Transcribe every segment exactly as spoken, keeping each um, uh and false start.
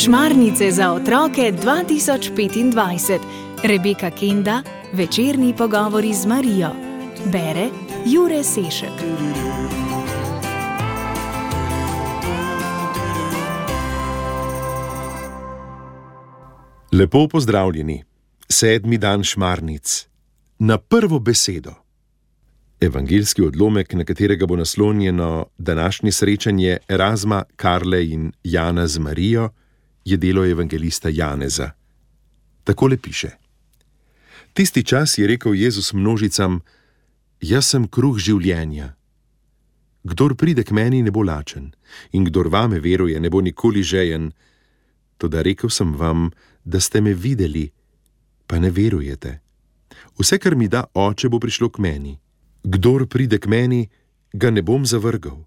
Šmarnice za otroke dva tisoč petindvajset. Rebeka Kenda, večerni pogovori z Marijo. Bere Jure Sešek. Lepo pozdravljeni. Sedmi dan šmarnic. Na prvo besedo. Evangeljski odlomek, na katerega bo naslonjeno današnje srečanje Erazma, Karle in Jana z Marijo, je delo evangelista Janeza. Takole piše. Tisti čas je rekel Jezus množicam: Jaz sem kruh življenja. Kdor pride k meni, ne bo lačen, in kdor vame veruje, ne bo nikoli žejen. Toda rekel sem vam, da ste me videli, pa ne verujete. Vse, kar mi da Oče, bo prišlo k meni. Kdor pride k meni, ga ne bom zavrgal.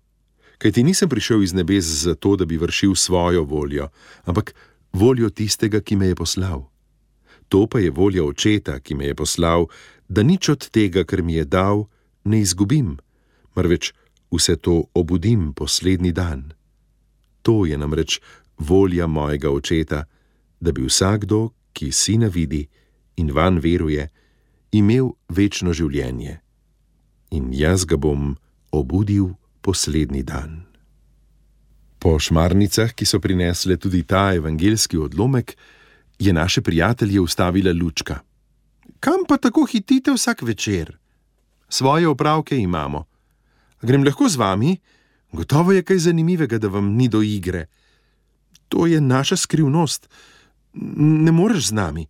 Kajti nisem prišel iz nebes zato, da bi vršil svojo voljo, ampak voljo tistega, ki me je poslal. To pa je volja Očeta, ki me je poslal, da nič od tega, kar mi je dal, ne izgubim, marveč vse to obudim poslednji dan. To je namreč volja mojega Očeta, da bi vsakdo, ki Sina vidi in vanj veruje, imel večno življenje. In jaz ga bom obudil poslednji dan. Po šmarnicah, ki so prinesle tudi ta evangeljski odlomek, je naše prijatelje ustavila Lučka. Kam pa tako hitite vsak večer? Svoje opravke imamo. Grem lahko z vami? Gotovo je kaj zanimivega, da vam ni do igre. To je naša skrivnost. Ne moreš z nami.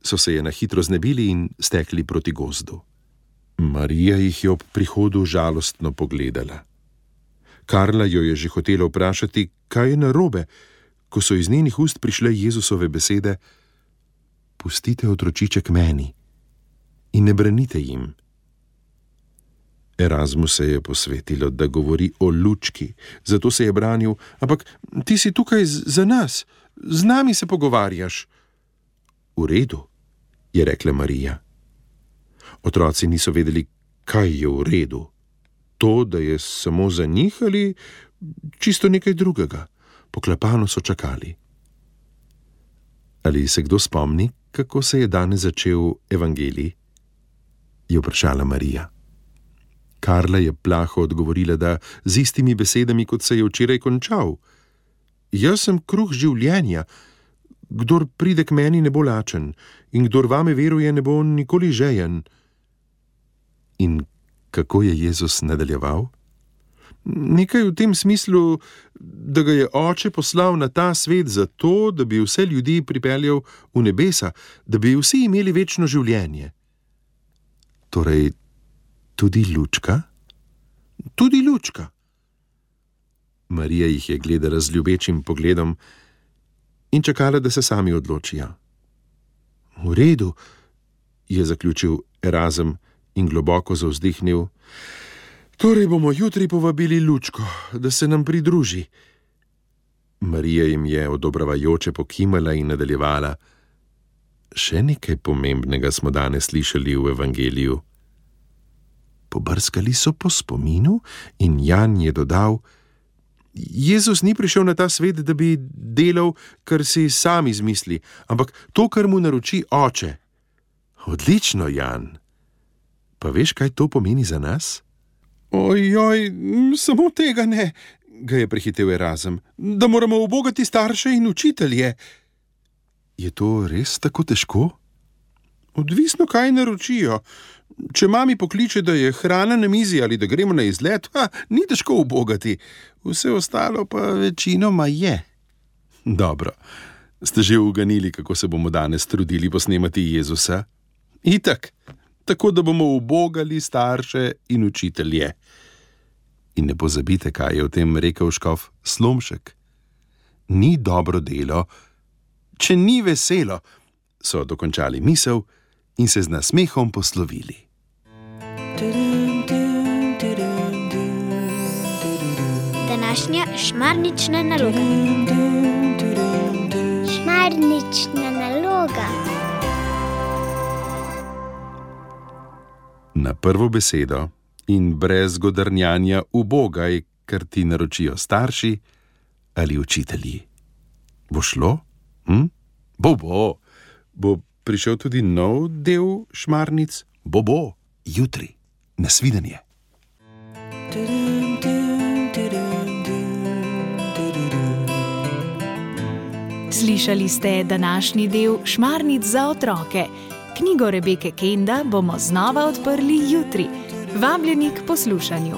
So se je na hitro znebili in stekli proti gozdu. Marija jih je ob prihodu žalostno pogledala. Karla jo je že hotela vprašati, kaj je narobe, ko so iz njenih ust prišle Jezusove besede: Pustite otročiček meni in ne branite jim. Erazmu se je posvetilo, da govori o Lučki, zato se je branil: Ampak ti si tukaj za nas, z nami se pogovarjaš. V redu, je rekla Marija. Otroci niso vedeli, kaj je v redu. To, da je samo za njih ali čisto nekaj drugega. Poklepano so čakali. Ali se kdo spomni, kako se je danes začel evangelij? Je vprašala Marija. Karla je plaho odgovorila, da z istimi besedami, kot se je včeraj končal. Jaz sem kruh življenja. Kdor pride k meni, ne bo lačen, in kdor vame veruje, ne bo nikoli žejen. In kako je Jezus nadaljeval? Nekaj v tem smislu, da ga je Oče poslal na ta svet zato, da bi vse ljudi pripeljal v nebesa, da bi vsi imeli večno življenje. Torej, tudi Lučka? Tudi Lučka. Marija jih je gledala z ljubečim pogledom in čakala, da se sami odločijo. V redu, je zaključil Erazem in globoko zavzdihnil. Torej bomo jutri povabili Lučko, da se nam pridruži. Marija jim je odobravajoče pokimala in nadaljevala. Še nekaj pomembnega smo danes slišali v evangeliju. Pobrskali so po spominu in Jan je dodal: Jezus ni prišel na ta svet, da bi delal, kar si sam izmisli, ampak to, kar mu naroči Oče. Odlično, Jan. Pa veš, kaj to pomeni za nas? Ojoj, samo tega ne, ga je prehitel Erazem, da moramo ubogati starše in učitelje. Je to res tako težko? Odvisno, kaj naročijo. Če mami pokliče, da je hrana na mizi ali da gremo na izlet, ha, ni težko ubogati. Vse ostalo pa večinoma je. Dobro, ste že uganili, kako se bomo danes trudili posnemati Jezusa? Itak. Tako da bomo ubogali starše in učitelje. In ne pozabite, kaj je o tem rekel škof Slomšek. Ni dobro delo, če ni veselo, so dokončali misel in se z nasmehom poslovili. Današnja šmarnična naloga. Šmarnična naloga. Na prvo besedo in brez godrnjanja ubogaj, kar ti naročijo starši ali učitelji. Bo šlo? Hm? Bo, bo. Bo prišel tudi nov del Šmarnic? Bo, bo. Jutri. Nasvidenje. Slišali ste današnji del Šmarnic za otroke. Knjigo Rebeke Kenda bomo znova odprli jutri. Vabljeni k poslušanju.